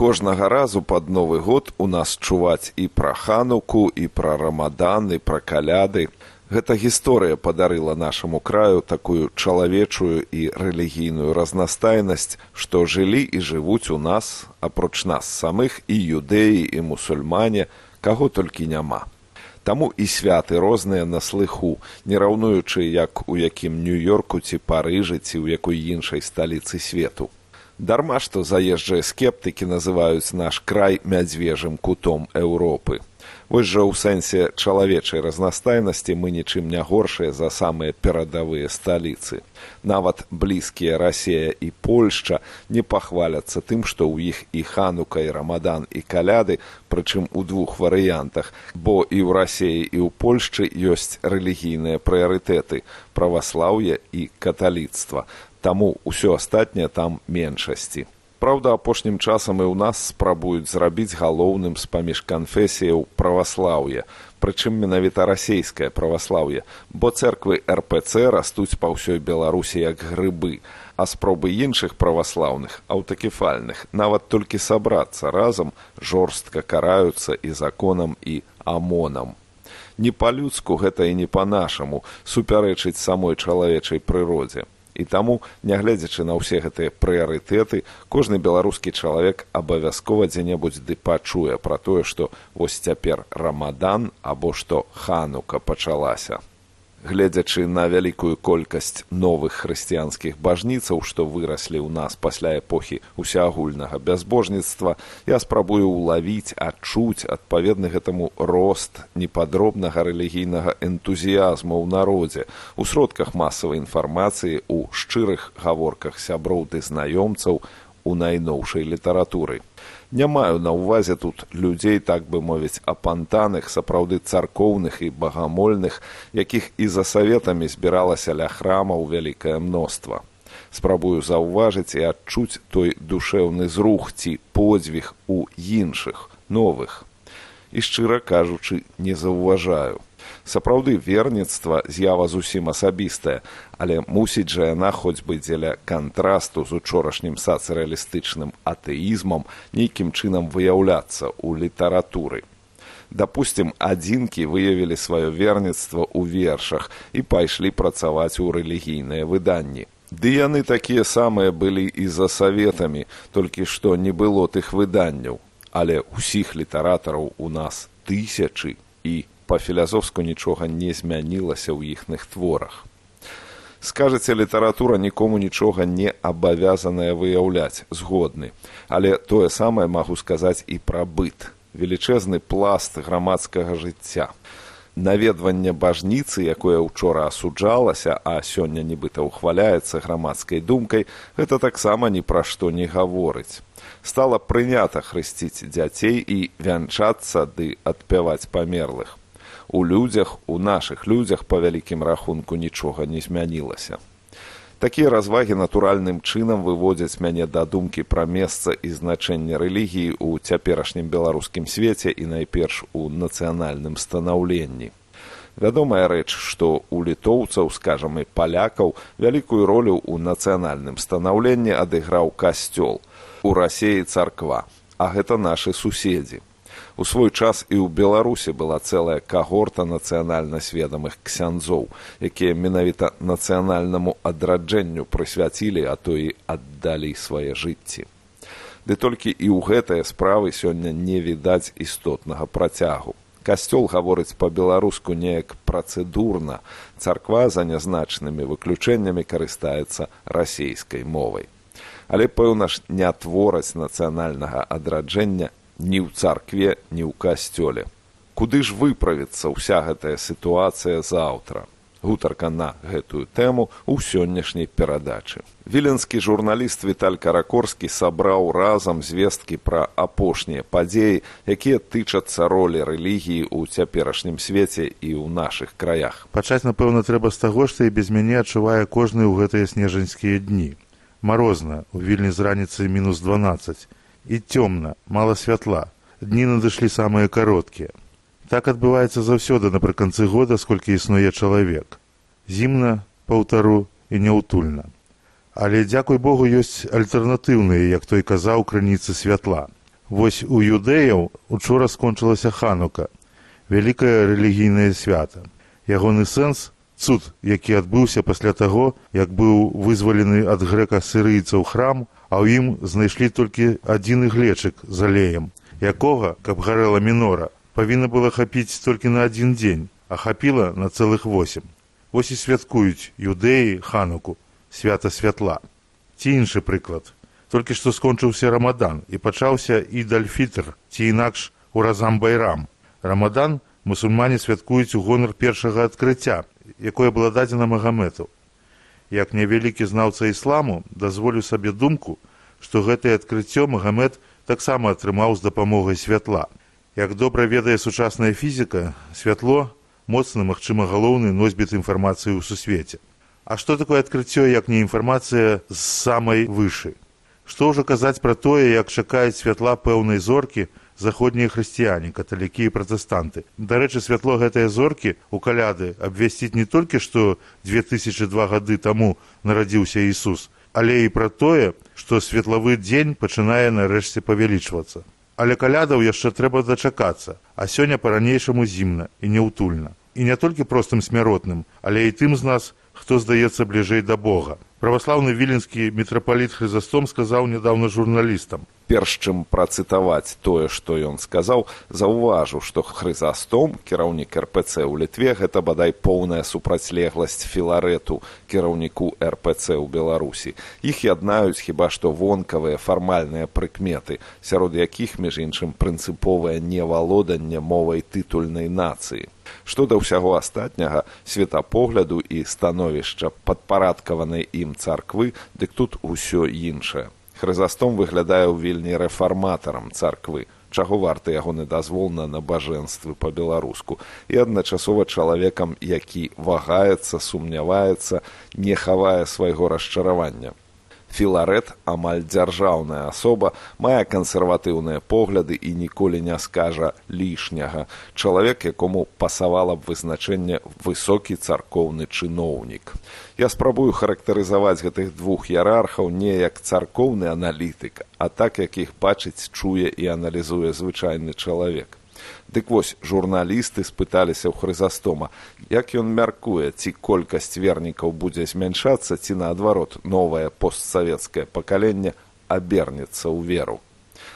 Кожнага разу пад Новы год у нас чуваць і пра Хануку, і пра Рамадан, і пра каляды. Гэта гісторыя падарыла нашаму краю такую чалавечую і рэлігійную разнастайнасць, што жылі і жывуць у нас, апроч нас самых, і юдэі, і мусульмане, каго толькі няма. Таму і святы розныя на слыху, не раўнуючы, як у якім Нью-Йорку ці Парыжы, ці ў якой іншай сталіцы свету. Дарма, што заезджыя скептыкі называюць наш край мядзвежым кутом Еўропы. Вось жа ў сэнсе чалавечай разнастайнасці мы нічым не горшыя за самыя перадавыя сталіцы. Нават блізкія Расія і Польшча не пахваляцца тым, што ў іх і Ханука, і Рамадан, і каляды, прычым у двух варыянтах, бо і ў Расіі, і ў Польшчы ёсць рэлігійныя прыярытэты – праваслаўе і каталіцтва. Таму ўсё астатняе там меншасці. Праўда, апошнім часам і ў нас спрабуюць зрабіць галоўным з-паміж канфесіяў праваслаўе, прычым менавіта расейскае праваслаўе, бо цэрквы РПЦ растуць па ўсёй Беларусі як грыбы, а спробы іншых праваслаўных, аўтакефальных, нават толькі сабрацца разам, жорстка караюцца і законам, і АМОНам. Не па-людску гэта і не па-нашаму супярэчыць самой чалавечай прыродзе. І таму, нягледзячы на ўсе гэтыя прыярытэты, кожны беларускі чалавек абавязкова дзе-небудзь ды пачуе пра тое, што вось цяпер Рамадан або што Ханука пачалася. Гледзячы на вялікую колькасць новых хрысціянскіх бажніцаў, што выраслі ў нас пасля эпохі усеагульнага бязбожніцтва, я спрабую ўлавіць, адчуць адпаведны гэтаму рост непадробнага рэлігійнага энтузіязму ў народзе, у сродках масавай інфармацыі, у шчырых гаворках сяброў ды знаёмцаў, у найноўшай літаратуры. Не маю на ўвазе тут людзей, так бы мовіць, апантаных, сапраўды царкоўных і багамольных, якіх і за саветамі збіралася ля храмаў вялікае мноства. Спрабую заўважыць і адчуць той душэўны зрух ці подзвіг у іншых, новых. І, шчыра кажучы, не заўважаю. Сапраўды, верніцтва з'ява зусім асабістая, але мусіць жа яна хоць бы дзеля кантрасту з учорашнім сацыялістычным атэізмам нейкім чынам выяўляцца ў літаратуры. Дапусцім, адзінкі выявілі сваё верніцтва ў вершах і пайшлі працаваць у рэлігійныя выданні. Ды яны такія самыя былі і за саветамі, толькі што не было тых выданняў. Але ўсіх літаратараў у нас тысячы і па-філазофску нічога не змянілася ў іхных творах. Скажаце, літаратура нікому нічога не абавязаная выяўляць, згодны. Але тое самае магу сказаць і пра быт. Велічэзны пласт грамадскага жыцця. Наведванне бажніцы, якое ўчора асуджалася, а сёння нібыта ўхваляецца грамадскай думкай, гэта таксама ні пра што не гаворыць. Стала прынята хрысціць дзяцей і вянчацца ды адпяваць памерлых. У людзях, у нашых людзях, па вялікім рахунку, нічога не змянілася. Такія развагі натуральным чынам выводзяць мяне да думкі пра месца і значэнне рэлігіі ў цяперашнім беларускім свеце і найперш у нацыянальным станаўленні. Вядомая рэч, што у літоўцаў, скажам, і палякаў вялікую ролю ў нацыянальным станаўленні адыграў касцёл, у Расіі царква, а гэта нашы суседзі. У свой час і ў Беларусі была цэлая кагорта нацыянальна сведамых ксяндзоў, якія менавіта нацыянальнаму адраджэнню прысвяцілі, а то і аддалі свае жыцці. Ды толькі і ў гэтыя справы сёння не відаць істотнага працягу. Касцёл гаворыць па-беларуску неяк працэдурна, царква за нязначнымі выключэннямі карыстаецца расейскай мовай. Але, пэўна ж, не твораць нацыянальнага адраджэння ні ў царкве, ні ў касцёле. Куды ж выправіцца ўся гэтая сітуацыя заўтра? Гутарка на гэтую тэму ў сённяшняй перадачы. Віленскі журналіст Віталь Каракорскі сабраў разам звесткі пра апошнія падзеі, якія тычацца ролі рэлігіі ў цяперашнім свеце і ў нашых краях. Пачаць, напэўна, трэба з таго, што і без мяне адчувае кожны ў гэтыя снежаньскія дні. Марозна, у Вільні з раніцы -12. І цёмна, мала святла. Дні надышлі самыя кароткія. Так адбываецца заўсёды напрыканцы года, сколькі існуе чалавек. Зімна, паўтару і няўтульна. Але, дзякуй Богу, ёсць альтэрнатыўныя, як той казаў, крыніцы святла. Вось у юдэяў учора скончылася Ханука, вялікае рэлігійнае свята. Ягоны сэнс – цуд, які адбыўся пасля таго, як быў вызвалены ад грэка-сірыйцаў храм, а ў ім знайшлі толькі адзін іглечык з алеем, якога, каб гарэла мінора, павінна было хапіць толькі на адзін дзень, а хапіла на цэлых 8. Вось і святкуюць юдэі Хануку, свята святла. Ці іншы прыклад. Толькі што скончыўся Рамадан і пачаўся Ід-аль-Фітр, ці інакш Уразам-Байрам. Рамадан мусульмане святкуюць у гонар першага адкрыцця, якое было дадзена Магамэту. Як невялікі знаўца ісламу, дазволю сабе думку, што гэтае адкрыццё Магамэт таксама атрымаў з дапамогай святла. Як добра ведае сучасная фізіка, святло – моцны, магчыма, галоўны носьбіт інфармацыі ў сусвеце. А што такое адкрыццё, як не інфармацыя з самай вышы? Што ўжо казаць пра тое, як чакаюць святла пэўнай зоркі заходнія хрысціяне, каталікі і пратэстанты. Дарэчы, святло гэтай зоркі ў каляды абвясціць не толькі, што 2002 гады таму нарадзіўся Ісус, але і пра тое, што светлавы дзень пачынае нарэшце павялічвацца. Але калядаў яшчэ трэба дачакацца, а сёння па-ранейшаму зімна і няўтульна. І не толькі простым смяротным, але і тым з нас, хто здаецца бліжэй да Бога. Праваслаўны віленскі мітрапаліт Хрызастом сказаў нядаўна журналістам. Перш чым працытаваць тое, што ён сказаў, заўважу, што Хрызастом, кіраўнік РПЦ ў Літве, гэта бадай поўная супрацьлегласць Філарэту, кіраўніку РПЦ ў Беларусі. Іх яднаюць хіба што вонкавыя фармальныя прыкметы, сярод якіх, між іншым, прынцыповае невалоданне мовай тытульнай нацыі. Што да ўсяго астатняга, светапогляду і становішча падпарадкаванай ім царквы, дык тут усё іншае. Хрызастом выглядае ў Вільні рэфарматарам царквы, чаго варты ягоны дазвол на набажэнствы па-беларуску, і адначасова чалавекам, які вагаецца, сумняваецца, не хавае свайго расчаравання. Філарэт, амаль дзяржаўная асоба, мае кансерватыўныя погляды і ніколі не скажа лішняга. Чалавек, якому пасавала б вызначэнне высокі царкоўны чыноўнік. Я спрабую характарызаваць гэтых двух іерархаў не як царкоўны аналітык, а так, як іх бачыць, чуе і аналізуе звычайны чалавек. Дык вось, журналісты спыталіся ў Хрызастома, як ён мяркуе, ці колькасць вернікаў будзе змяншацца, ці наадварот, новае постсавецкае пакаленне абернецца ў веру.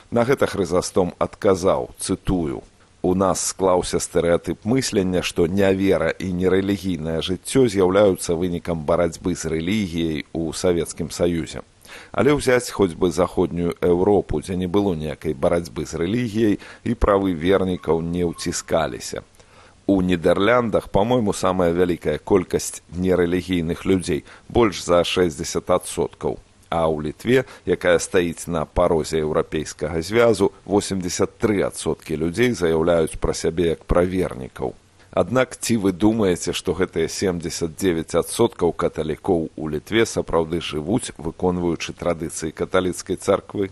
На гэта Хрызастом адказаў, цытую: «У нас склаўся стэрэатып мыслення, што нявера і нерэлігійнае жыццё з'яўляюцца вынікам барацьбы з рэлігіяй у Савецкім Саюзе. Але ўзяць хоць бы заходнюю Еўропу, дзе не было ніякай барацьбы з рэлігіяй і правы вернікаў не ўціскаліся. У Нідэрляндах, па-мойму, самая вялікая колькасць нерэлігійных людзей, больш за 60%. А ў Літве, якая стаіць на парозе Еўрапейскага звязу, 83% людзей заяўляюць пра сябе як пра вернікаў. Аднак ці вы думаеце, што гэтыя 79% каталікоў у Літве сапраўды жывуць, выконваючы традыцыі каталіцкай царквы?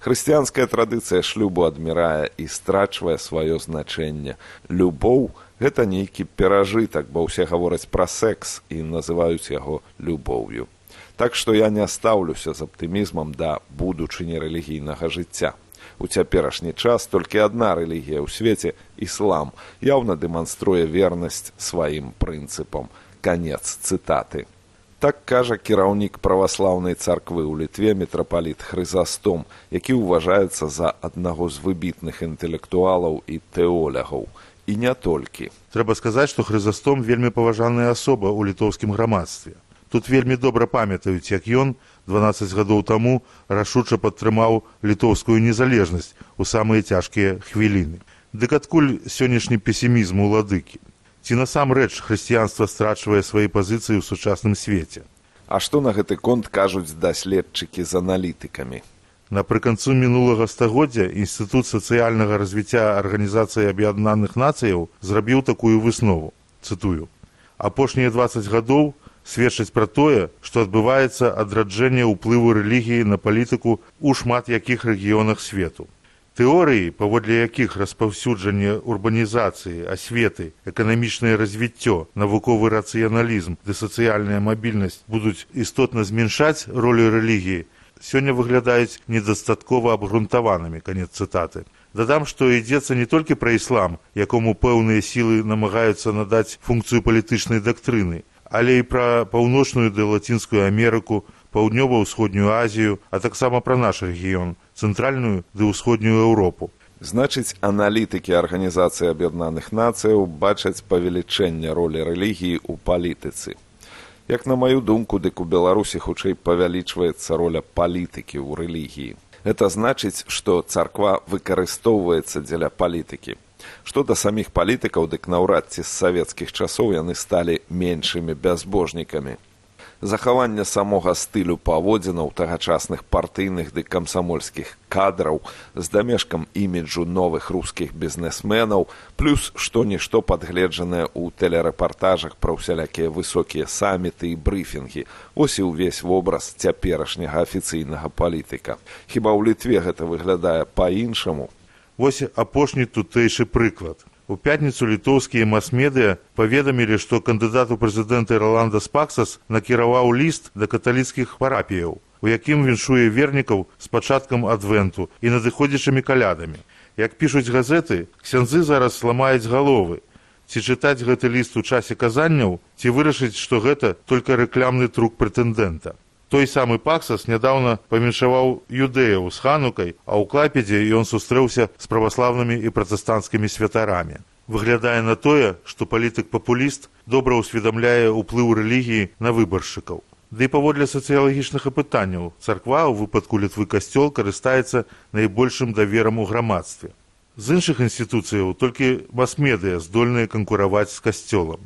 Хрысціянская традыцыя шлюбу адмірае і страчвае сваё значэнне. Любоў – гэта нейкі перажытак, бо ўсе гавораць пра секс і называюць яго любоўю. Так што я не стаўлюся з аптымізмам да будучыні рэлігійнага жыцця. У цяперашні час толькі адна рэлігія ў свеце – іслам, яўна дэманструе вернасць сваім прынцыпам. Канец цытаты. Так кажа кіраўнік праваслаўнай царквы ў Літве мітрапаліт Хрызастом, які ўважаецца за аднаго з выбітных інтэлектуалаў і тэолягаў. І не толькі. Трэба сказаць, што Хрызастом вельмі паважаная асоба ў літоўскім грамадстве. Тут вельмі добра памятаюць, як ён 12 гадоў таму рашуча падтрымаў літоўскую незалежнасць у самыя цяжкія хвіліны. Дык адкуль сённяшні песімізм уладыкі? Ці насамрэч хрысціянства страчвае свае пазіцыі ў сучасным свеце? А што на гэты конт кажуць даследчыкі з аналітыкамі? Напрыканцу мінулага стагоддзя Інстытут сацыяльнага развіцця Арганізацыі Аб'яднаных Нацыяў зрабіў такую выснову, цытую: «Апошнія 20 гадоў сведчаць пра тое, што адбываецца адраджэнне ўплыву рэлігіі на палітыку ў шмат якіх рэгіёнах свету. Тэорыі, паводле якіх распаўсюджанне урбанізацыі, асветы, эканамічнае развіццё, навуковы рацыяналізм ды сацыяльная мабільнасць будуць істотна зменшаць ролю рэлігіі, сёння выглядаюць недастаткова абгрунтаванымі. Канец цытаты. Дадам, што ідзецца не толькі пра іслам, якому пэўныя сілы намагаюцца надаць функцыю палітычнай дактрыны, але і пра паўночную ды лацінскую Амерыку, паўднёва-ўсходнюю Азію, а таксама пра наш рэгіён, цэнтральную ды ўсходнюю Еўропу. Значыць, аналітыкі Арганізацыі Аб'яднаных Нацыяў бачаць павелічэнне ролі рэлігіі ў палітыцы. Як на маю думку, дык у Беларусі хутчэй павялічваецца роля палітыкі ў рэлігіі. Гэта значыць, што царква выкарыстоўваецца дзеля палітыкі. Што да саміх палітыкаў, дык наўрад ці з савецкіх часоў яны сталі меншымі бязбожнікамі. Захаванне самога стылю паводзінаў тагачасных партыйных ды камсамольскіх кадраў з дамешкам іміджу новых рускіх бізнесменаў, плюс што-нішто падгледжанае ў тэлерэпартажах пра ўсялякія высокія саміты і брыфінгі. Вось і ўвесь вобраз цяперашняга афіцыйнага палітыка. Хіба ў Літве гэта выглядае па-іншаму? Вось апошні тутэйшы прыклад. У пятніцу літоўскія мас-медыя паведамілі, што кандыдат у прэзідэнты Роландас Паксас накіраваў ліст да каталіцкіх парапіяў, у якім віншуе вернікаў з пачаткам адвенту і надыходзячымі калядамі. Як пішуць газеты, ксяндзы зараз ламаюць галовы. Ці чытаць гэты ліст у часе казанняў, ці вырашыць, што гэта толькі рэклямны трук прэтэндэнта. Той самы Паксас нядаўна памяншаваў юдэяў з ханукай, а ў Клайпедзе ён сустрэўся з праваслаўнымі і пратэстанцкімі святарамі. Выглядае на тое, што палітык-папуліст добра ўсведамляе ўплыў рэлігіі на выбаршчыкаў. Ды і паводле сацыялагічных апытанняў, царква, у выпадку Літвы касцёл, карыстаецца найбольшым даверам у грамадстве. З іншых інстытуцыяў толькі мас-медыя здольныя канкураваць з касцёлам.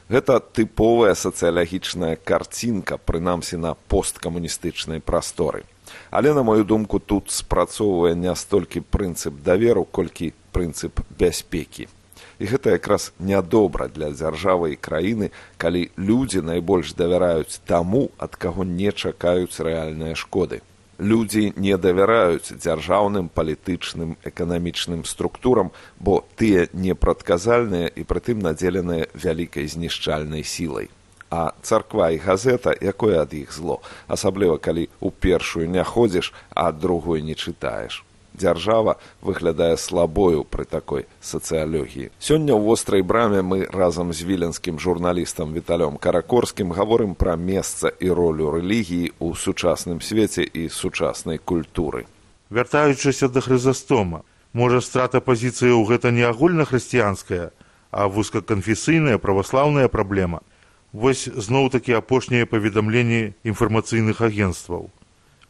Гэта тыповая сацыялагічная карцінка, прынамсі на посткамуністычнай прасторы. Але, на мою думку, тут спрацоўвае не столькі прынцып даверу, колькі прынцып бяспекі. І гэта якраз нядобра для дзяржавы і краіны, калі людзі найбольш давяраюць таму, ад каго не чакаюць рэальныя шкоды. Людзі не давяраюць дзяржаўным, палітычным, эканамічным структурам, бо тыя непрадказальныя і прытым надзеленыя вялікай знішчальнай сілай. А царква і газета, якое ад іх зло, асабліва калі ў першую не ходзіш, а другой не чытаеш. Дзяржава выглядае слабою пры такой сацыялогіі. Сёння ў вострай браме мы разам з віленскім журналістам Віталём Каракорскім гаворым пра месца і ролю рэлігіі ў сучасным свеце і сучаснай культуры. Вяртаючыся да Хрызастома, можа страта пазіцыяў гэта не агульнахрысціянская, а вузкаканфесійная праваслаўная праблема. Вось зноў-такі апошнія паведамленні інфармацыйных агенцтваў.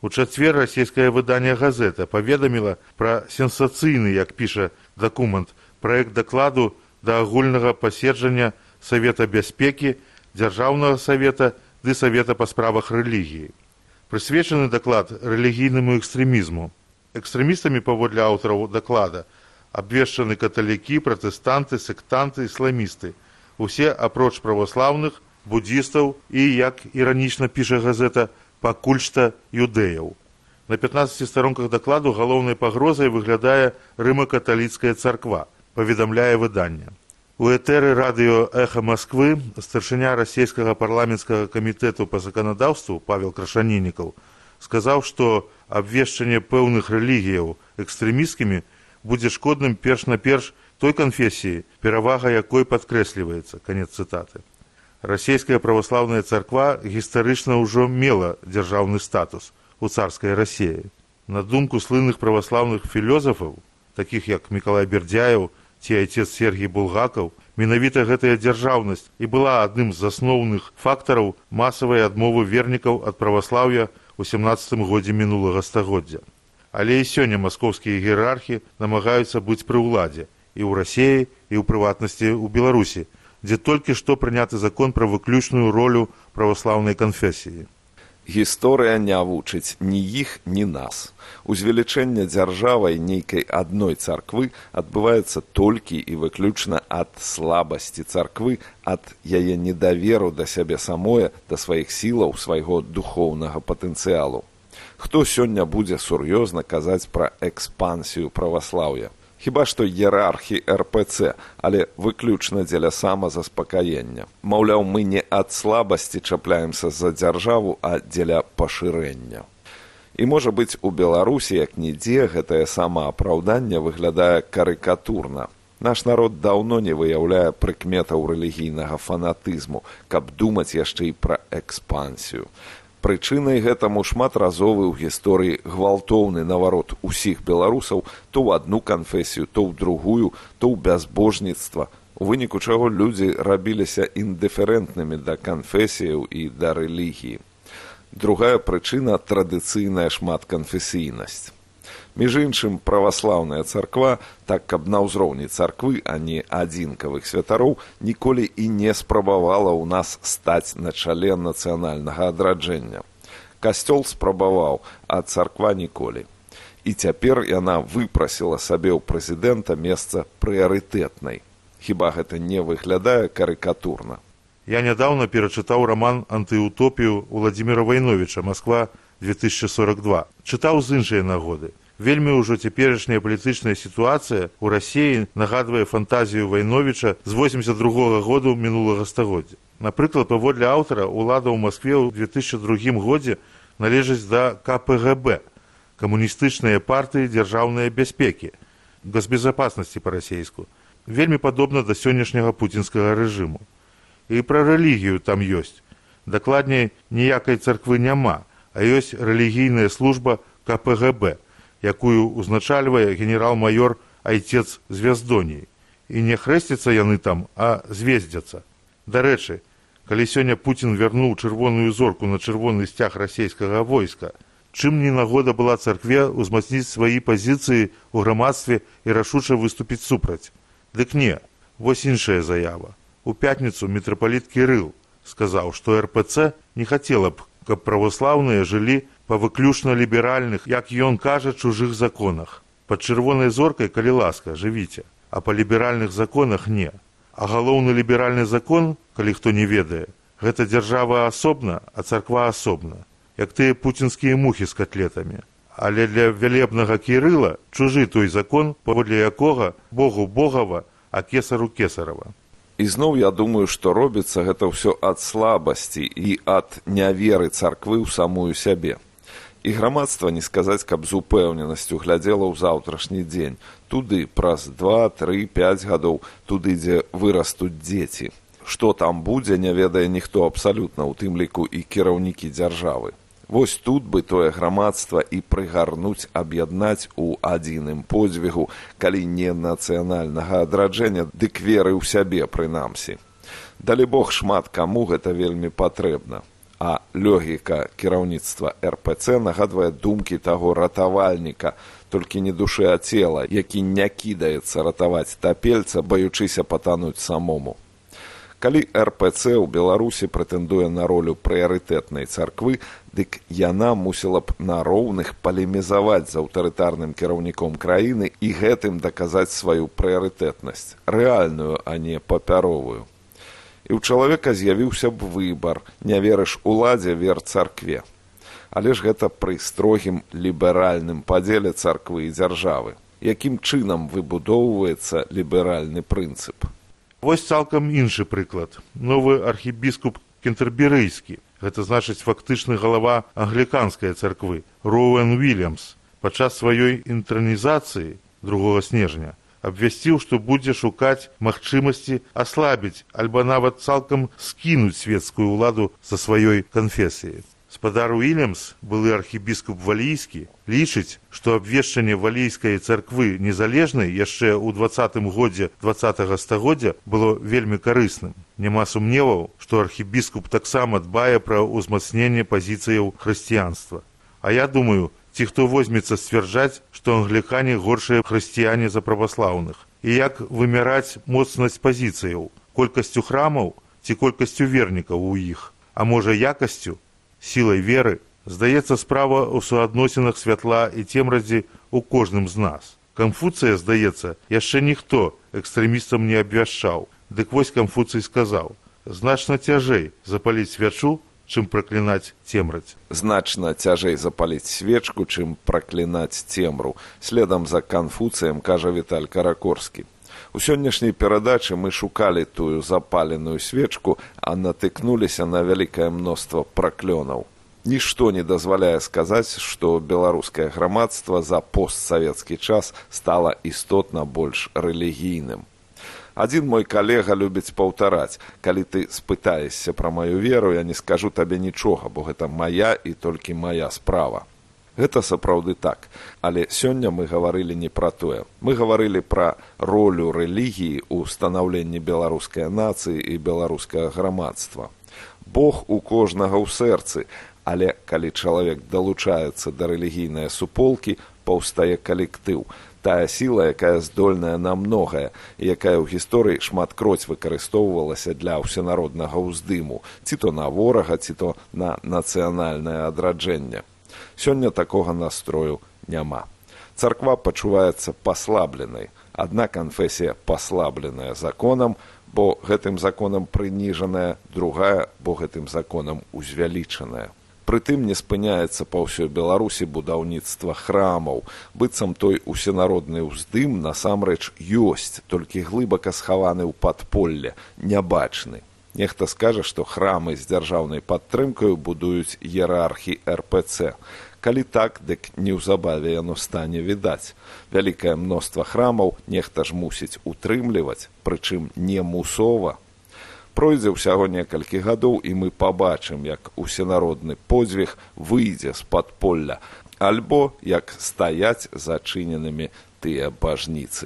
У чацвер расійскае выданне «Газета» паведаміла пра сенсацыйны, як піша дакумент, праект дакладу да агульнага паседжання Савета бяспекі, Дзяржаўнага савета ды Савета па справах рэлігіі. Прысвечаны даклад рэлігійнаму экстрэмізму. Экстрэмістамі, паводле аўтараў даклада, абвешчаны каталікі, пратэстанты, сектанты, ісламісты. Усе апроч праваслаўных, буддістаў і, як іранічна піша «Газета», пакуль што юдэяў. На 15 старонках дакладу галоўнай пагрозай выглядае рыма-каталіцкая царква, паведамляе выданне. У этэры радыё «Эхо Москвы» старшыня расійскага парламенцкага камітэту па заканадаўству Павел Крашанінікаў сказаў, што абвешчанне пэўных рэлігіяў экстрэмісткімі будзе шкодным перш-наперш той канфесіі, перавага якой падкрэсліваецца. Канец цытаты. Расійская праваслаўная царква гістарычна ўжо мела дзяржаўны статус у царскай Расіі. На думку слынных праваслаўных філёзафаў, такіх як Мікалай Бердзяеў ці айцец Сергій Булгакаў, менавіта гэтая дзяржаўнасць і была адным з асноўных фактараў масавай адмовы вернікаў ад праваслаўя ў 17 годзе мінулага стагоддзя. Але і сёння маскоўскія іерархі намагаюцца быць пры ўладзе і ў Расіі, і ў прыватнасці ў Беларусі, дзе толькі што прыняты закон пра выключную ролю праваслаўнай канфесіі. Гісторыя не вучыць ні іх, ні нас. Узвелічэнне дзяржавай нейкай адной царквы адбываецца толькі і выключна ад слабасці царквы, ад яе недаверу да сябе самое, да сваіх сілаў, свайго духоўнага патэнцыялу. Хто сёння будзе сур'ёзна казаць пра экспансію праваслаўя? Хіба што іерархі РПЦ, але выключна дзеля самазаспакаення. Маўляў, мы не ад слабасці чапляемся за дзяржаву, а дзеля пашырэння. І, можа быць, у Беларусі, як нідзе, гэтае самаапраўданне выглядае карыкатурна. Наш народ даўно не выяўляе прыкметаў рэлігійнага фанатызму, каб думаць яшчэ і пра экспансію. Прычынай гэтаму шматразовы ў гісторыі гвалтоўны наварот усіх беларусаў то ў адну канфесію, то ў другую, то ў бязбожніцтва, у выніку чаго людзі рабіліся індыферэнтнымі да канфесіяў і да рэлігіі. Другая прычына – традыцыйная шматканфесійнасць. Між іншым, праваслаўная царква, так каб на ўзроўні царквы, а не адзінкавых святароў, ніколі і не спрабавала ў нас стаць на чале нацыянальнага адраджэння. Касцёл спрабаваў, а царква ніколі. І цяпер яна выпрасіла сабе ў прэзідэнта месца прыярытэтнай. Хіба гэта не выглядае карыкатурна? Я нядаўна перачытаў раман «Антыутопію» Владзіміра Вайновіча «Масква 2042». Чытаў з іншай нагоды. Вельмі ўжо цяперашняя палітычная сітуацыя ў Расіі нагадвае фантазію Вайновіча з 82-го году мінулага стагоддзя. Напрыклад, паводле аўтара, улада ў Маскве ў 2002 годзе належыць да КПГБ, камуністычныя партыі дзяржаўнай бяспекі, госбезопасности па-расейску. Вельмі падобна да сённяшняга пуцінскага рэжыму. І пра рэлігію там ёсць. Дакладней, ніякай царквы няма, а ёсць рэлігійная служба КПГБ, якую узначальвае генерал-майор Айцец Звяздоній. І не хрэсцяцца яны там, а звездзяцца. Дарэчы, калі сёння Пуцін вярнуў чырвоную зорку на чырвоны сцяг расейскага войска, чым не нагода была царкве ўзмацніць свае пазіцыі ў грамадстве і рашуча выступіць супраць? Дык не, вось іншая заява. У пятніцу мітрапаліт Кірыл сказаў, што РПЦ не хацела б, каб праваслаўныя жылі па выключна ліберальных, як ён кажа, чужых законах. Пад чырвонай зоркай, калі ласка, жывіце, а па ліберальных законах не. А галоўны ліберальны закон, калі хто не ведае, гэта дзяржава асобна, а царква асобна, як тыя пуцінскія мухі з катлетамі. Але для вялебнага Кірыла чужы той закон, паводле якога Богу Богава, а кесару кесарава. І зноў я думаю, што робіцца гэта ўсё ад слабасці і ад няверы царквы ў самую сябе. І грамадства, не сказаць, каб з упэўненасцю глядзела ў заўтрашні дзень. Туды праз 2, 3, 5 гадоў, туды, дзе вырастуць дзеці. Што там будзе, не ведае ніхто абсалютна, у тым ліку і кіраўнікі дзяржавы. Вось тут бы тое грамадства і прыгарнуць, аб'яднаць у адзіным подзвігу, калі не нацыянальнага адраджэння, дык веры ў сябе прынамсі. Далі Бог, шмат каму гэта вельмі патрэбна. А логіка кіраўніцтва РПЦ нагадвае думкі таго ратавальніка, толькі не душы, а цела, які не кідаецца ратаваць тапельца, баючыся патануць самому. Калі РПЦ ў Беларусі прэтэндуе на ролю прыярытэтнай царквы, дык яна мусіла б на роўных палемізаваць з аўтарытарным кіраўніком краіны і гэтым даказаць сваю прыярытэтнасць, рэальную, а не папяровую. І ў чалавека з'явіўся б выбар, не верыш уладзе, вер царкве. Але ж гэта пры строгім ліберальным падзеле царквы і дзяржавы. Якім чынам выбудоўваецца ліберальны прынцып? Вось цалкам іншы прыклад. Новы архібіскуп кентэрберыйскі, гэта значыць фактычны галава англіканскай царквы, Роуэн Уільямс, падчас сваёй інтранізацыі 2 снежня абвясціў, што будзе шукаць магчымасці аслабіць альбо нават цалкам скінуць свецкую ўладу са сваёй канфесіі. Спадар Уільямс, былы архібіскуп валійскі, лічыць, што абвешчанне валійскай царквы незалежнай яшчэ ў 20-м годзе 20-го стагоддзя было вельмі карысным. Няма сумневаў, што архібіскуп таксама дбае пра ўзмацненне пазіцыяў хрысціянства. А я думаю, ці хто возьмецца сцвярджаць, што англікане горшыя хрысціяне за праваслаўных. І як вымяраць моцнасць пазіцыяў, колькасцю храмаў ці колькасцю вернікаў у іх, а можа якасцю, сілай веры, здаецца, справа ў суадносінах святла і цемрадзі ў кожным з нас. Канфуцыя, здаецца, яшчэ ніхто экстрэмістам не абвяшчаў. Дык вось Канфуцый сказаў: значна цяжэй запаліць свячу, чым праклінаць цемраць. Значна цяжэй запаліць свечку, чым праклінаць цемру. Следам за Канфуцыем кажа Віталь Каракорскі. У сённяшняй перадачы мы шукалі тую запаленую свечку, а натыкнуліся на вялікае мноства праклёнаў. Нішто не дазваляе сказаць, што беларускае грамадства за постсавецкі час стала істотна больш рэлігійным. Адзін мой калега любіць паўтараць: калі ты спытаешся пра маю веру, я не скажу табе нічога, бо гэта мая і толькі мая справа. Гэта сапраўды так, але сёння мы гаварылі не пра тое. Мы гаварылі пра ролю рэлігіі ў станаўленні беларускай нацыі і беларускага грамадства. Бог у кожнага ў сэрцы, але калі чалавек далучаецца да рэлігійнай суполкі, паўстае калектыў. Тая сіла, якая здольная на многае, і якая ў гісторыі шматкроць выкарыстоўвалася для ўсенароднага ўздыму, ці то на ворага, ці то на нацыянальнае адраджэнне. Сёння такога настрою няма. Царква пачуваецца паслабленай. Адна канфесія паслабленая законам, бо гэтым законам прыніжаная, другая, бо гэтым законам узвялічаная. Прытым не спыняецца па ўсёй Беларусі будаўніцтва храмаў. Быццам той усенародны ўздым насамрэч ёсць, толькі глыбака схаваны ў падполле, нябачны. Нехта скажа, што храмы з дзяржаўнай падтрымкаю будуюць іерархі РПЦ. Калі так, дык неўзабаве яно стане відаць. Вялікае мноства храмаў нехта ж мусіць утрымліваць, прычым не мусова. Пройдзе ўсяго некалькі гадоў, і мы пабачым, як усенародны подзвіг выйдзе з падполля, альбо як стаяць зачыненымі тыя бажніцы.